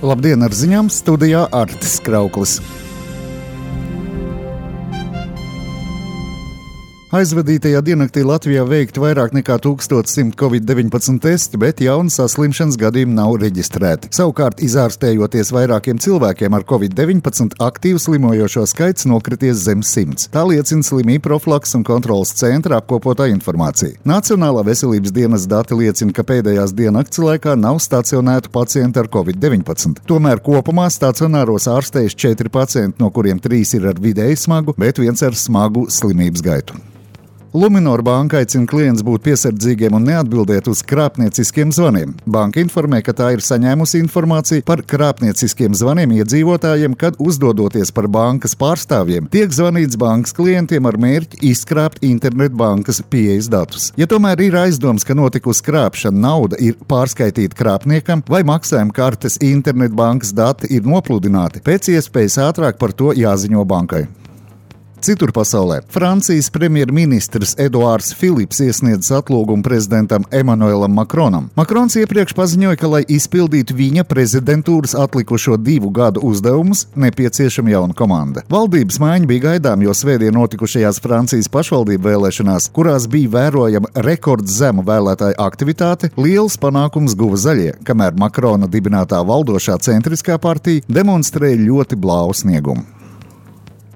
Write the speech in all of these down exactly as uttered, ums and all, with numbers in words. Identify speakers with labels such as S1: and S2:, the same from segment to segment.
S1: Labdien, ar ziņām studijā Artis Krauklis. Aizvadītajā diennaktī Latvijā veikti vairāk nekā tūkstoš simt covid deviņpadsmit testi, bet jaunu saslimšanas gadījumu nav reģistrēti. Savukārt, izārstējoties vairākiem cilvēkiem ar covid deviņpadsmit, aktīvu slimojošo skaits nokrities zem simts. Tā liecina Slimību profilakses un kontroles centra apkopotā informācija. Nacionālā veselības dienas dati liecina, ka pēdējās diennakts laikā nav stacionētu pacientu ar covid deviņpadsmit. Tomēr kopumā stacionāros ārstējas četri pacienti, no kuriem trīs ir ar vidēji smagu, bet viens ar smagu slimības gaitu. Luminor banka aicina klientus būt piesardzīgiem un neatbildēt uz krāpnieciskiem zvaniem. Banka informē, ka tā ir saņēmusi informāciju par krāpnieciskiem zvaniem iedzīvotājiem, kad uzdodoties par bankas pārstāvjiem, tiek zvanīts bankas klientiem ar mērķi izkrāpt internetbankas pieejas datus. Ja tomēr ir aizdoms, ka notikusi krāpšana, nauda ir pārskaitīta krāpniekam vai maksājuma kartes internetbankas dati ir nopludināti, pēc iespējas ātrāk par to jāziņo bankai. Citur pasaulē Francijas premjerministrs Eduards Filips iesniedz atlūgumu prezidentam Emanuelam Makronam. Makrons iepriekš paziņoja, ka, lai izpildītu viņa prezidentūras atlikušo divu gadu uzdevumus, nepieciešama jauna komanda. Valdības maiņa bija gaidām, jo svētdien notikušajās Francijas pašvaldību vēlēšanās, kurās bija vērojama rekordzema vēlētāju aktivitāte, liels panākums guva zaļie, kamēr Makrona dibinātā valdošā centriskā partija demonstrēja ļoti blāvu sniegumu.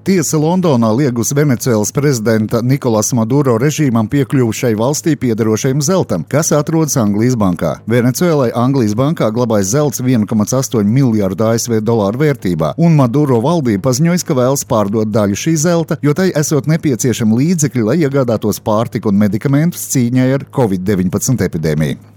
S1: Tiesa Londonā liegus Venecuēlas prezidenta Nikolasa Maduro režīmam piekļuvu šai valstī piederošajam zeltam, kas atrodas Anglijas bankā. Venecuēlai Anglijas bankā glabājas zelts viena komā astoņi miljārdu A S V dolāru vērtībā, un Maduro valdība paziņojas, ka vēlas pārdot daļu šī zelta, jo tai esot nepieciešami līdzekļi, lai iegādātos pārtiku un medikamentus cīņai ar covid deviņpadsmit epidēmiju.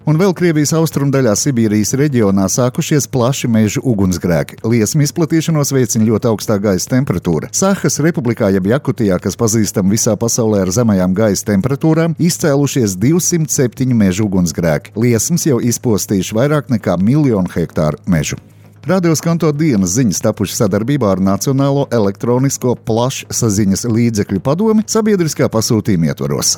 S1: Un vēl Krievijas austrumdaļā Sibīrijas reģionā sākušies plaši mežu ugunsgrēki. Liesmu izplatīšanos veicina ļoti augstā gaisa temperatūra. Sahas republikā jeb Jakutijā, kas pazīstam visā pasaulē ar zemajām gaisa temperatūrām, izcēlušies divsimt septiņi mežu ugunsgrēki. Liesmas jau izpostījuši vairāk nekā miljonu hektāru mežu. Radio Skanto dienas ziņas tapušas sadarbībā ar Nacionālo elektronisko plašsaziņas līdzekļu padomi sabiedriskā pasūtījuma ietvaros.